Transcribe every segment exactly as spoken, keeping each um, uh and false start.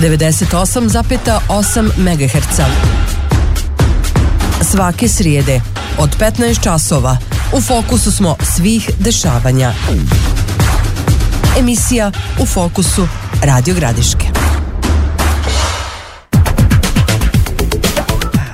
devedeset osam zarez osam megaherca. Svake srijede od petnaest časova u fokusu smo svih dešavanja. Emisija U fokusu Radio Gradiške.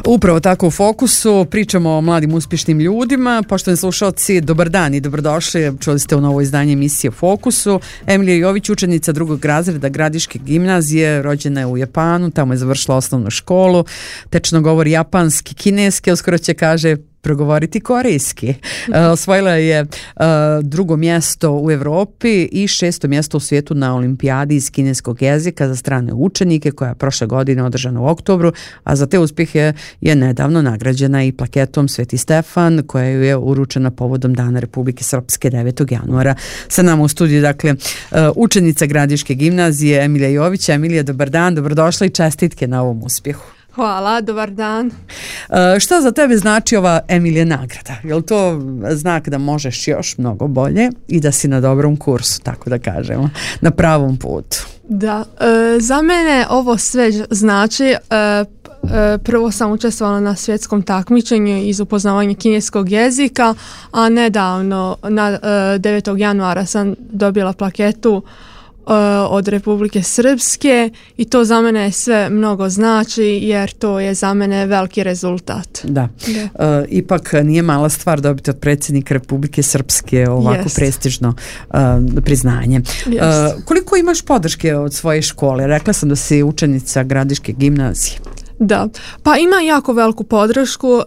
Upravo tako u fokusu pričamo o mladim uspješnim ljudima. Poštovani slušalci, dobar dan i dobrodošli. Čuli ste u novo izdanje emisije Fokusu. Emilija Jović, učenica drugog razreda Gradiške gimnazije, rođena je u Japanu, tamo je završila osnovnu školu, tečno govori japanski, kineski, uskoro će kaže progovoriti korejski. Uh, osvojila je uh, drugo mjesto u Evropi i šesto mjesto u svijetu na olimpijadi iz kineskog jezika za strane učenike koja je prošle godine održana u oktobru, a za te uspjehe je nedavno nagrađena i plaketom Sveti Stefan koja ju je uručena povodom Dana Republike Srpske devetog januara. Sa nama u studiju, dakle, uh, učenica Gradiške gimnazije Emilija Jović. Emilija, dobar dan, dobrodošla i čestitke na ovom uspjehu. Hvala, dobar dan. Uh, šta za tebe znači ova Emilija nagrada? Je li to znak da možeš još mnogo bolje i da si na dobrom kursu, tako da kažemo, na pravom putu? Da, e, za mene ovo sve znači, e, e, prvo sam učestvovala na svjetskom takmičenju iz upoznavanja kineskog jezika, a nedavno, na e, devetog januara sam dobila plaketu od Republike Srpske i to za mene sve mnogo znači jer to je za mene veliki rezultat. Da, da. E, ipak nije mala stvar dobiti od predsjednika Republike Srpske ovako Jest. prestižno uh, priznanje. Uh, koliko imaš podrške od svoje škole? Rekla sam da si učenica Gradiške gimnazije. Da, pa ima jako veliku podršku, uh,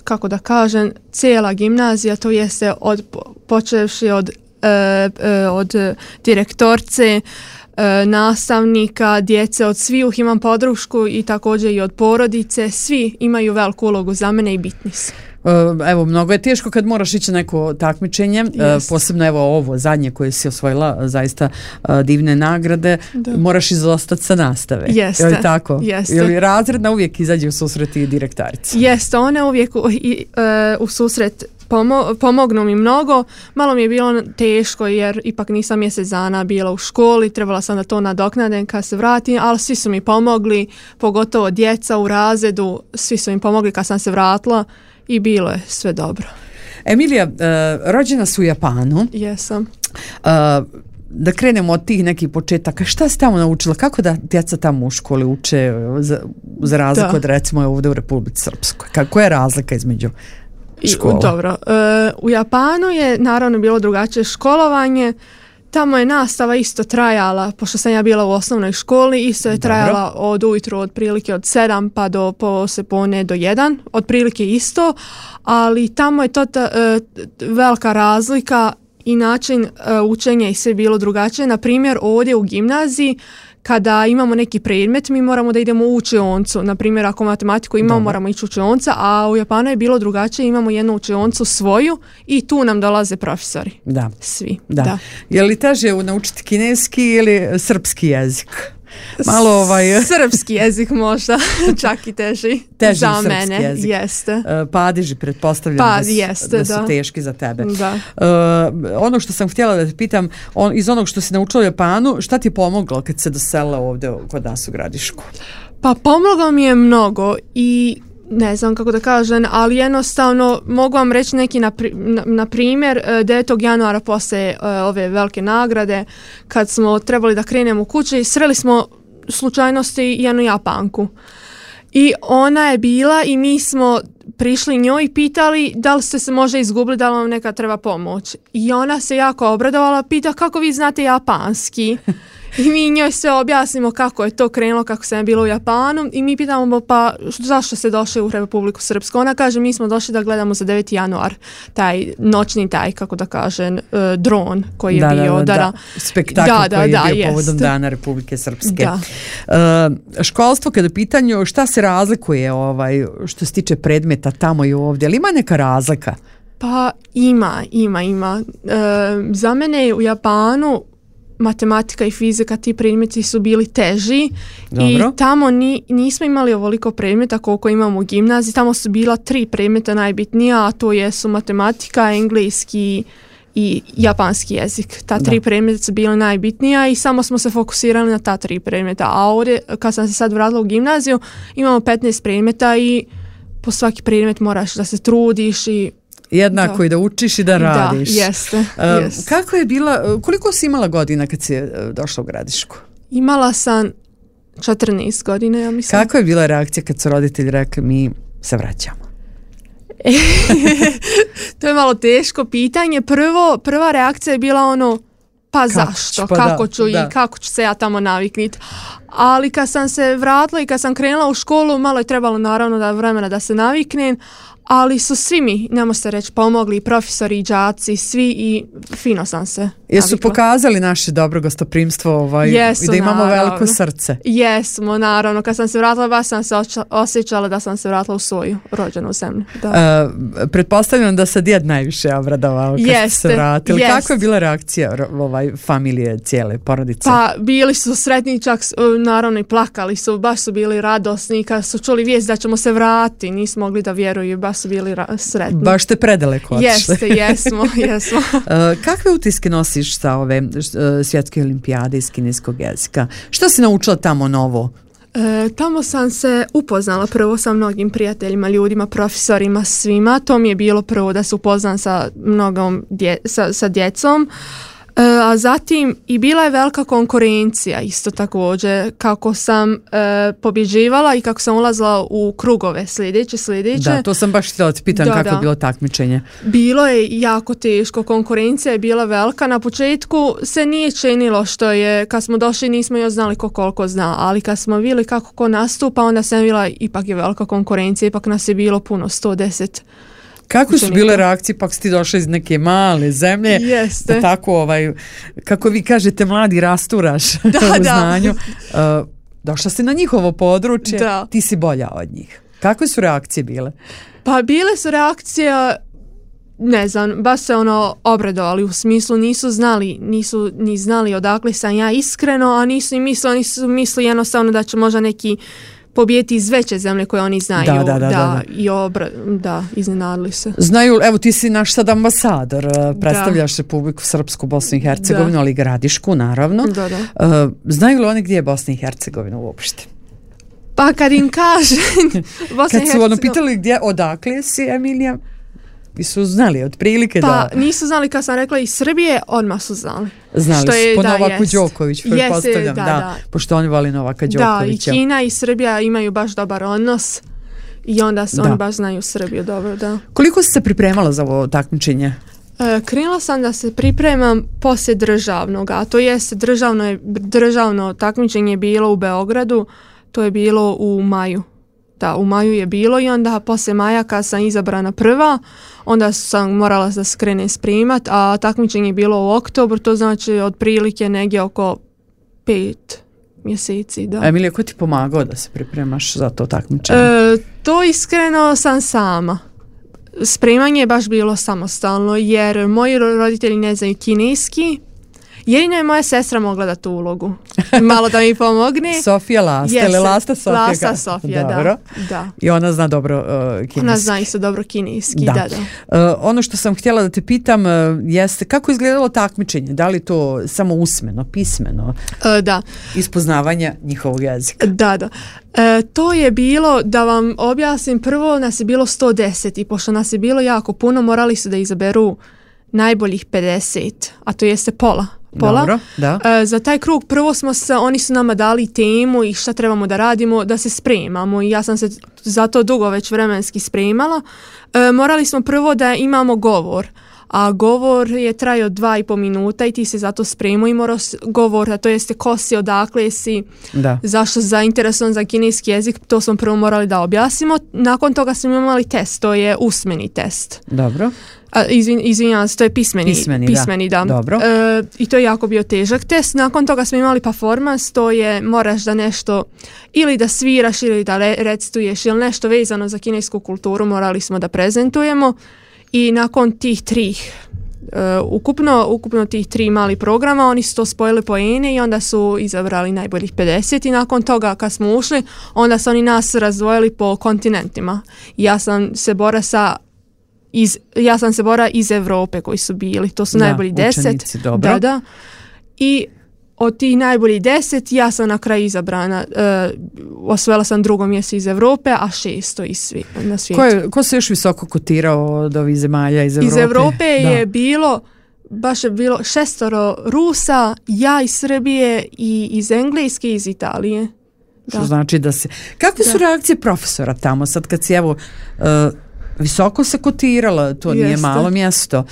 kako da kažem, cijela gimnazija, to jeste od, počevši od od direktorce, nastavnika, djece, od svih imam podršku i također i od porodice. Svi imaju veliku ulogu za mene i bitni su. Evo, mnogo je teško kad moraš ići neko takmičenje, yes. posebno evo ovo zadnje koje si osvojila, zaista divne nagrade, da. Moraš izostati sa nastave. Jeste. Je li tako? Jeste. Je li razredna uvijek izađe u susret i direktarica? Jeste, one uvijek u, i, uh, u susret Pomo- pomognu mi mnogo. Malo mi je bilo teško jer ipak nisam mjesec dana bila u školi, trebala sam da to nadoknadem kad se vratim, ali svi su mi pomogli, pogotovo djeca u razredu, svi su mi pomogli kad sam se vratila i bilo je sve dobro. Emilija, uh, rođena su u Japanu. Jesam. Uh, da krenemo od tih nekih početaka, šta si tamo naučila, kako da djeca tamo u školi uče za, za razliku da. od recimo ovdje u Republici Srpskoj? Kako je razlika između škola? Dobro, e, u Japanu je naravno bilo drugačije školovanje, tamo je nastava isto trajala, pošto sam ja bila u osnovnoj školi, isto je trajala Dobro. od ujutru od prilike od sedam pa do poslijepodne do jedan, od prilike isto, ali tamo je to ta, e, velika razlika i način e, učenja i sve bilo drugačije. Na primjer, ovdje u gimnaziji kada imamo neki predmet, mi moramo da idemo u učioncu. Na primjer, ako matematiku imamo, Dobre. moramo ići u učionca, a u Japanu je bilo drugačije, imamo jednu učioncu svoju i tu nam dolaze profesori. Da. Svi. Da. Da. Je li teže naučiti kineski ili srpski jezik? Malo ovaj srpski jezik možda čak i teži, teži za mene jezik. Jeste. Uh, padeži pretpostavljam pa, da, su, jeste, da su da. teški za tebe. Da. Uh, ono što sam htjela da te pitam, on, iz onog što si naučila u Japanu, šta ti je pomoglo kad se doselila ovdje kod nas u Gradišku? Pa pomoglo mi je mnogo i ne znam kako da kažem, ali jednostavno mogu vam reći neki na, na, na primjer devetog januara posle uh, ove velike nagrade kad smo trebali da krenemo u kući, sreli smo slučajnosti jednu Japanku i ona je bila i mi smo prišli njoj i pitali da li ste se može izgubili, da li vam neka treba pomoć i ona se jako obradovala, pita kako vi znate japanski. I mi njoj sve objasnimo kako je to krenulo, kako sam bila u Japanu i mi pitamo pa zašto ste došli u Republiku Srpsku. Ona kaže mi smo došli da gledamo za deveti januar taj noćni taj, kako da kažem, uh, dron koji je da, bio. Da, da, da, da. Spektakl da, koji da, je bio jest. povodom Dana Republike Srpske. Da. Uh, školstvo kada je pitanju šta se razlikuje ovaj, što se tiče predmeta tamo i ovdje, ali ima neka razlika? Pa ima, ima, ima. Uh, za mene u Japanu matematika i fizika, ti predmeti su bili teži. Dobro. I tamo ni, nismo imali ovoliko predmeta koliko imamo u gimnaziji. Tamo su bila tri predmeta najbitnija, a to jesu matematika, engleski i japanski jezik. Ta tri da. predmeta su bila najbitnija i samo smo se fokusirali na ta tri predmeta. A ovdje, kad sam se sad vratila u gimnaziju, imamo petnaest predmeta i po svaki predmet moraš da se trudiš i jednako da. i da učiš i da radiš. Da, jeste. Uh, jest. Kako je bila, koliko si imala godina kad si došla u Gradišku? Imala sam četrnaest godina, ja mislim. Kako je bila reakcija kad su roditelji rekli mi se vraćamo? To je malo teško pitanje. Prvo, prva reakcija je bila ono, pa kako zašto, pa kako da, ću da. i kako ću se ja tamo navikniti. Ali kad sam se vratila i kad sam krenula u školu, malo je trebalo naravno da vremena da se naviknem, ali su svi mi, nemo se reći, pomogli, i profesori, i đaci, svi i fino sam se Jesu navikla. pokazali naše dobro gostoprimstvo ovaj, Jesu, i da imamo naravno. veliko srce. Jesmo, naravno. Kad sam se vratila, baš sam se oča- osjećala da sam se vratila u svoju rođenu zemlju. Da. Uh, pretpostavljam da se djed najviše obradovao kad ste se vratili. Jest. Kako je bila reakcija ovaj, familije, cijele porodice? Pa bili su sretni, čak naravno i plakali su, baš su bili radosni kad su čuli vijest da ćemo se vratiti, nismo mogli da vjeruju, baš su bili ra- sretni. Baš ste predaleko otišli. Jeste, jesmo, jesmo. uh, kakve utiske nosiš sa ove uh, svjetske olimpijade iz kineskog jezika? Što si naučila tamo novo? E, tamo sam se upoznala prvo sa mnogim prijateljima, ljudima, profesorima, svima. To mi je bilo prvo da se upoznam sa mnogom dje, sa, sa djecom. E, a zatim i bila je velika konkurencija isto također, kako sam e, pobjeđivala i kako sam ulazila u krugove sljedeće, sljedeće. Da, to sam baš htjela ti pitam da, kako da. je bilo takmičenje. Bilo je jako teško, konkurencija je bila velika. Na početku se nije činilo što je, kad smo došli nismo još znali ko koliko zna, ali kad smo vidjeli kako ko nastupa, onda sam vidjela ipak je velika konkurencija, ipak nas je bilo puno, sto deset. Kako su bile reakcije, pak si ti došla iz neke male zemlje, Jeste. da tako, ovaj, kako vi kažete, mladi rasturaš Da, u da. znanju. Uh, došla si na njihovo područje, Da. ti si bolja od njih. Kakve su reakcije bile? Pa bile su reakcije, ne znam, baš se ono obradovali, u smislu nisu znali, nisu ni znali odakle sam ja iskreno, a nisu i mislili, nisu mislili jednostavno da će možda neki pobijeti iz veće zemlje koje oni znaju. Da, da, da, da, da. I obra, da, iznenadili se. Znaju, evo ti si naš sad ambasador, predstavljaš Republiku Srpsku, Bosnu i Hercegovinu, Da. ali i Gradišku, naravno. Da, da. Uh, znaju li oni gdje je Bosna i Hercegovina uopšte? Pa kad im kaže Bosna i Kad su ono Hercegovina- pitali gdje, odakle si, Emilija, i su znali otprilike Pa da... nisu znali kad sam rekla iz Srbije, odmah su znali. Znali Što su, je, po da, Novaku jest. Đoković, Jeste, pretpostavljam, da, da, da. pošto oni voli Novaka Da, i Đokovića. Kina i Srbija imaju baš dobar odnos i onda su, Da. oni baš znaju Srbiju dobro, da. Koliko si se pripremala za ovo takmičenje? E, krenula sam da se pripremam poslije državnog, a to jest državno, je, državno takmičenje je bilo u Beogradu, to je bilo u maju. Da, u maju je bilo i onda poslije maja kad sam izabrana prva, onda sam morala da se krenem sprimat, a takmičenje je bilo u oktobru, to znači otprilike negdje oko pet mjeseci. Da. Emilija, ko ti pomagao da se pripremaš za to takmičenje? E, to iskreno sam sama. Spremanje je baš bilo samostalno jer moji roditelji ne znaju kineski. Jedino je moja sestra mogla da tu ulogu. Malo da mi pomogne. Sofija Lasta, Jeste, ili Lasta Sofija? Lasta Sofija, da. Dobro. da. I ona zna dobro uh, kineski. Ona zna isto dobro kineski, Da. da, da. Uh, ono što sam htjela da te pitam uh, jeste kako je izgledalo takmičenje? Da li to samo usmeno, pismeno, E, da. ispoznavanje njihovog jezika? Da, da. E, to je bilo, da vam objasnim, prvo nas je bilo sto deset i pošto nas je bilo jako puno, morali su da izaberu najboljih pedeset, a to jeste pola. Pola. Dobro, da. E, za taj krug prvo smo se, oni su nama dali temu i šta trebamo da radimo, da se spremamo i ja sam se za to dugo već vremenski spremala. E, morali smo prvo da imamo govor, a govor je trajao dva i po minuta i ti se zato spremao i morao s- govor, a to jeste ko si, odakle si, Da. zašto si zainteresovan za kineski jezik, to smo prvo morali da objasnimo. Nakon toga smo imali test, to je usmeni test. Dobro. A, izvin, izvinjavam se, to je pismeni, Pismeni, da. pismeni da. Dobro. E, I to je jako bio težak test. Nakon toga smo imali performance, to je moraš da nešto ili da sviraš ili da re, recituješ ili nešto vezano za kinesku kulturu morali smo da prezentujemo i nakon tih tri Uh, ukupno, ukupno tih tri mali programa oni su to spojili poene i onda su izabrali najboljih pedeset i nakon toga kad smo ušli onda su oni nas razdvojili po kontinentima. Ja sam se bora sa iz, ja sam se borila iz Europe koji su bili, to su da, najbolji deset. Učenici, dobro. Da, da. I od tih najboljih deset ja sam na kraju izabrana. E, osvojila sam drugo mjesto iz Europe, a šesto iz svi, na svijetu. Ko, je, ko se još visoko kotirao od ovih zemalja iz Europe? Iz Europe je bilo, baš je bilo šestoro Rusa, ja iz Srbije i iz Engleske i iz Italije. Da. Što znači da se... Kakve su da. reakcije profesora tamo sad kad si evo... Uh, visoko se kotirala, to Jeste. Nije malo mjesto.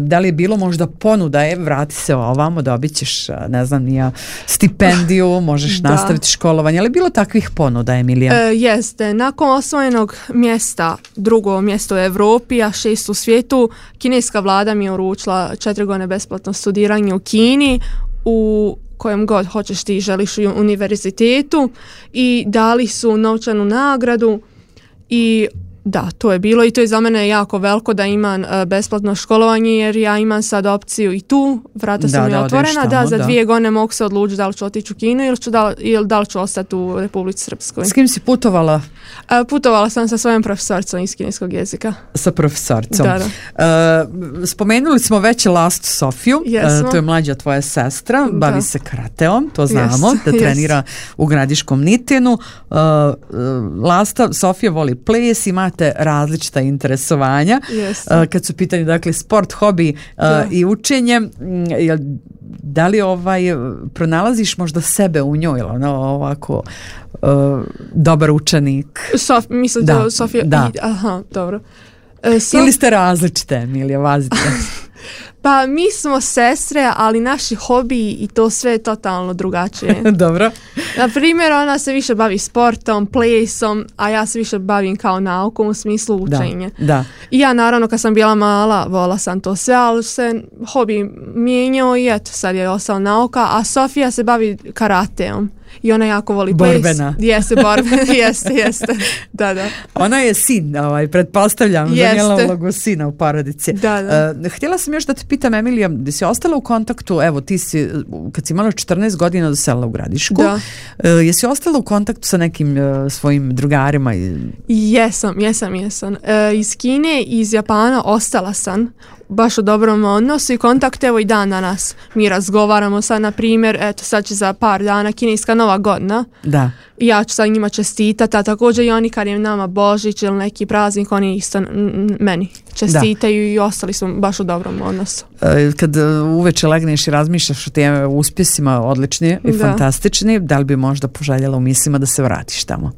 Da li je bilo možda ponuda, je, vrati se ovamo, dobit ćeš, ne znam, nija stipendiju, možeš da. nastaviti školovanje, ali je bilo takvih ponuda, Emilija? E, jeste, nakon osvojenog mjesta, drugo mjesto u Europi, a šest u svijetu, kineska vlada mi je uručila četiri godine besplatno studiranje u Kini, u kojem god hoćeš ti želiš u univerzitetu, i dali su novčanu nagradu i da, to je bilo i to je za mene jako veliko da imam uh, besplatno školovanje, jer ja imam sad opciju i tu, vrata su da, mi da, otvorena, tamo, da za da. dvije godine mogu se odlučiti da li ću otići u Kinu ili, ću da, ili da li ću ostati u Republici Srpskoj. S kim si putovala? Uh, putovala sam sa svojom profesoricom iz kineskog jezika. Sa profesoricom. Da, da. Uh, spomenuli smo već Lastu Sofiju, uh, to je mlađa tvoja sestra, bavi da. se karateom, to znamo, yes, da yes. trenira u Gradiškom Nitinu. Uh, Lasta Sofija voli ples, imate različita interesovanja. Yes. Uh, kad su pitanje, dakle, sport, hobi uh, i učenje, jel, da li ovaj, pronalaziš možda sebe u njoj, ono, ovako uh, dobar učenik? Sof, mislim da, da Sofija, da. I, aha, dobro. E, so, Ili ste različite, Emilija, vazite? Pa mi smo sestre, ali naši hobiji i to sve je totalno drugačije. Dobro. Na primjer, ona se više bavi sportom, plesom, a ja se više bavim kao naukom u smislu učenja. Da, da. I ja naravno kad sam bila mala, vola sam to sve, ali se hobi mijenjao i eto, sad je ostala nauka, a Sofija se bavi karateom. I ona jako voli ples. Borbena. Jeste, borbena, jeste, jeste. Da, da. Ona je sin, ovaj, pretpostavljam, zanijela ulogu sina u porodici. Da, da. Uh, htjela sam još da te pitam, Emilija, da si ostala u kontaktu, evo ti si, kad si imala četrnaest godina doselila u Gradišku, da. Uh, jesi ostala u kontaktu sa nekim uh, svojim drugarima? Jesam, jesam, jesam. E, iz Kine i iz Japana ostala sam baš u dobrom odnosu i kontakt, evo i dan danas mi razgovaramo sad, na primjer, eto sad će za par dana kineska nova godina. Da. I ja ću sa njima čestitati, a također i oni kad je nama Božić ili neki praznik, oni isto n- meni čestitaju da. I ostali smo baš u dobrom odnosu. E, kad uveče legneš i razmišljaš o tim uspjesima odlični i da. Fantastični, da li bi možda poželjela u mislima da se vratiš tamo?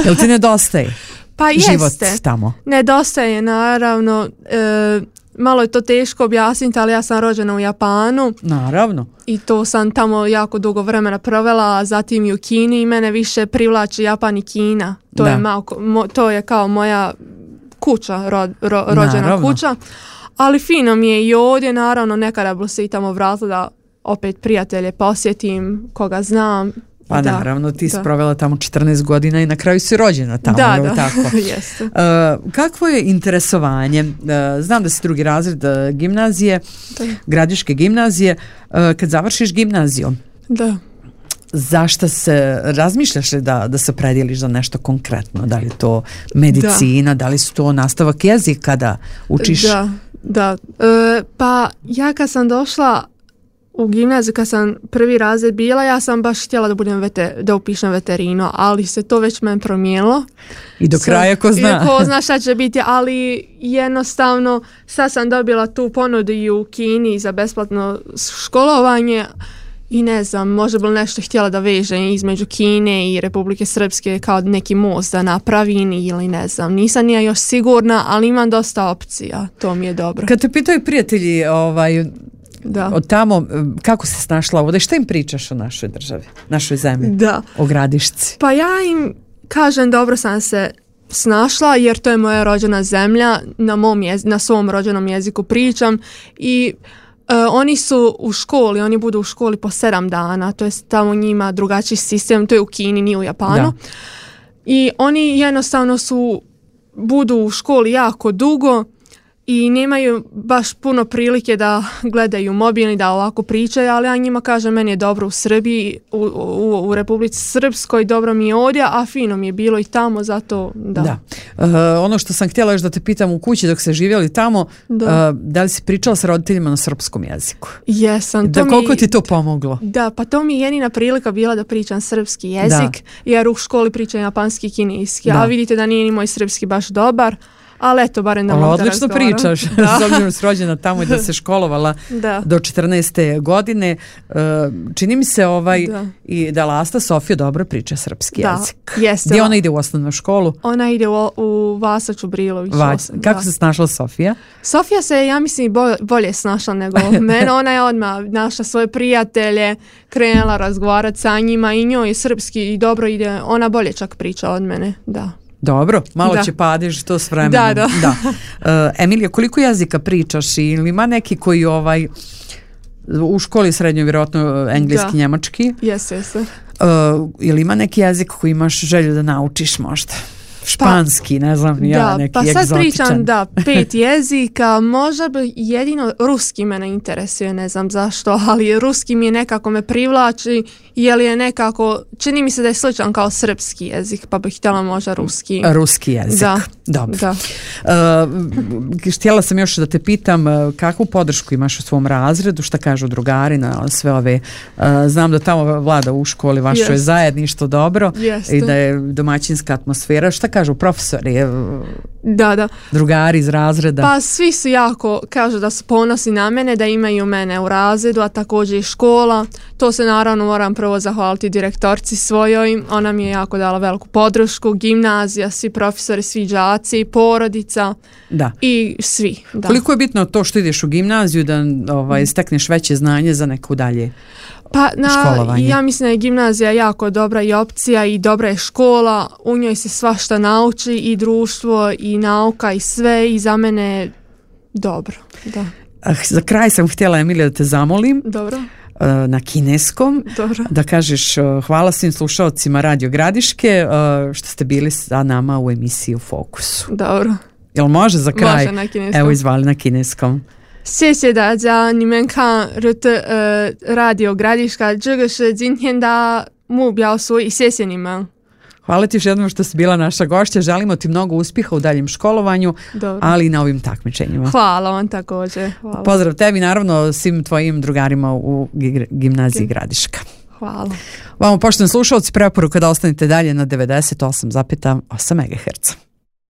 Jel ti nedostaje? Pa život jeste. Tamo? Nedostaje, naravno. E, malo je to teško objasniti, ali ja sam rođena u Japanu. Naravno. I to sam tamo jako dugo vremena provela, zatim i u Kini i mene više privlači Japan i Kina. To, je, malo, mo, to je kao moja kuća, ro, ro, rođena naravno. Kuća. Ali fino mi je i ovdje, naravno, nekada bi se i tamo vratila da opet prijatelje posjetim, koga znam. Pa da, naravno, ti si provela tamo četrnaest godina i na kraju si rođena tamo. Da, da, tako. jeste. Uh, kakvo je interesovanje? Uh, znam da si drugi razred uh, gimnazije, da. Gradiške gimnazije. Uh, kad završiš gimnaziju, da. Zašto se, razmišljaš li da, da se predijeliš za nešto konkretno? Da li je to medicina, da, da li su to nastavak jezika da učiš? Da, da. E, pa ja kad sam došla u gimnaziju, kad sam prvi razred bila, ja sam baš htjela da budem vete, da upišem veterinu, ali se to već meni promijenilo. I do kraja ko zna. I ko zna šta će biti, ali jednostavno sad sam dobila tu ponudu i u Kini za besplatno školovanje i ne znam, možda bi nešto htjela da vežem između Kine i Republike Srpske kao neki most da napravim ili ne znam. Nisam nija još sigurna, ali imam dosta opcija, to mi je dobro. Kad te pitaju prijatelji ovaj, da. Od tamo, kako se snašla ovdje, šta im pričaš o našoj državi, našoj zemlji, da. O Gradišci? Pa ja im kažem dobro sam se snašla jer to je moja rođena zemlja, na, mom jez, na svom rođenom jeziku pričam i uh, oni su u školi, oni budu u školi po sedam dana, to je tamo njima drugačiji sistem, to je u Kini, nije u Japanu. Da. I oni jednostavno su, budu u školi jako dugo i nemaju baš puno prilike da gledaju mobilni, da ovako pričaju, ali ja njima kažem, meni je dobro u Srbiji, u, u, u Republici Srpskoj, dobro mi je ovdje, a fino mi je bilo i tamo, zato da. Da. Uh, ono što sam htjela još da te pitam, u kući dok ste živjeli tamo, da, uh, da li si pričala sa roditeljima na srpskom jeziku? Jesam. Da, koliko mi, ti to pomoglo? Da, pa to mi je jedina prilika bila da pričam srpski jezik, da. Jer u školi pričam japanski i kineski, da. A vidite da nije ni moj srpski baš dobar. Ali eto, barem da mogu da odlično pričaš, s obzirom si rođena tamo i da se školovala da. Do četrnaeste godine. Čini mi se ovaj da. I da Lasta Sofija dobro priča srpski da. Jezik. Jeste. Gdje ona ide u osnovnu školu? Ona ide u, u Vasaču Brilović. Vać. Kako da. Se snašla Sofija? Sofija se, ja mislim, bolje snašla nego mene. Ona je odmah našla svoje prijatelje, krenula razgovarati sa njima i njoj je srpski i dobro ide. Ona bolje čak priča od mene, da. Dobro, malo da. Će padež to s vremenom. Da, da. Da. Uh, Emilija, koliko jezika pričaš ili ima neki koji ovaj u školi srednjoj vjerojatno engleski, da. Njemački? Jesi, jesi. Uh, ili ima neki jezik koji imaš želju da naučiš možda? Španski, pa, ne znam, ja da, neki pa egzotičan. Pa sad pričam, da, pet jezika, možda bi jedino ruski mene interesuje, ne znam zašto, ali ruski mi je nekako me privlači, jer je nekako, čini mi se da je sličan kao srpski jezik, pa bih htjela možda ruski. Ruski jezik, da. Dobro. Da. Uh, htjela sam još da te pitam kakvu podršku imaš u svom razredu, šta kažu drugari na sve ove, uh, znam da tamo vlada u školi vašoj yes. zajedništvo dobro yes. i da je domaćinska atmosfera, šta kažu profesori, da, da. drugari iz razreda? Pa svi su jako, kažu da su ponosni na mene, da imaju mene u razredu, a također i škola. To se naravno moram prvo zahvaliti direktorci svojoj, ona mi je jako dala veliku podršku, gimnazija, svi profesori, svi đaci, porodica da. I svi. Da. Koliko je bitno to što ideš u gimnaziju da ovaj, stekneš veće znanje za neko dalje? Pa na, ja mislim da je gimnazija jako dobra i opcija i dobra je škola, u njoj se svašta nauči i društvo i nauka i sve i za mene dobro. Da. Za kraj sam htjela, Emilija, da te zamolim. Dobro. Na kineskom, dobro. Da kažeš hvala svim slušalcima Radio Gradiške što ste bili sa nama u emisiji u Fokusu. Dobro. Jel može za kraj? Može na kineskom. Evo izvali na kineskom. 谢谢大家，你们看呃 Radio Gradiška， 这个是今天的目标，所以谢谢你们。 Hvala ti još jednom što si bila naša gošća. Želimo ti mnogo uspjeha u daljem školovanju, dobro. Ali i na ovim takmičenjima. Hvala vam također. Hvala. Pozdrav tebi, naravno svim tvojim drugarima u gimnaziji okay. Gradiška. Hvala. Vamo, poštovani slušalci, preporuka da ostanete dalje na devedeset osam zarez osam megaherca.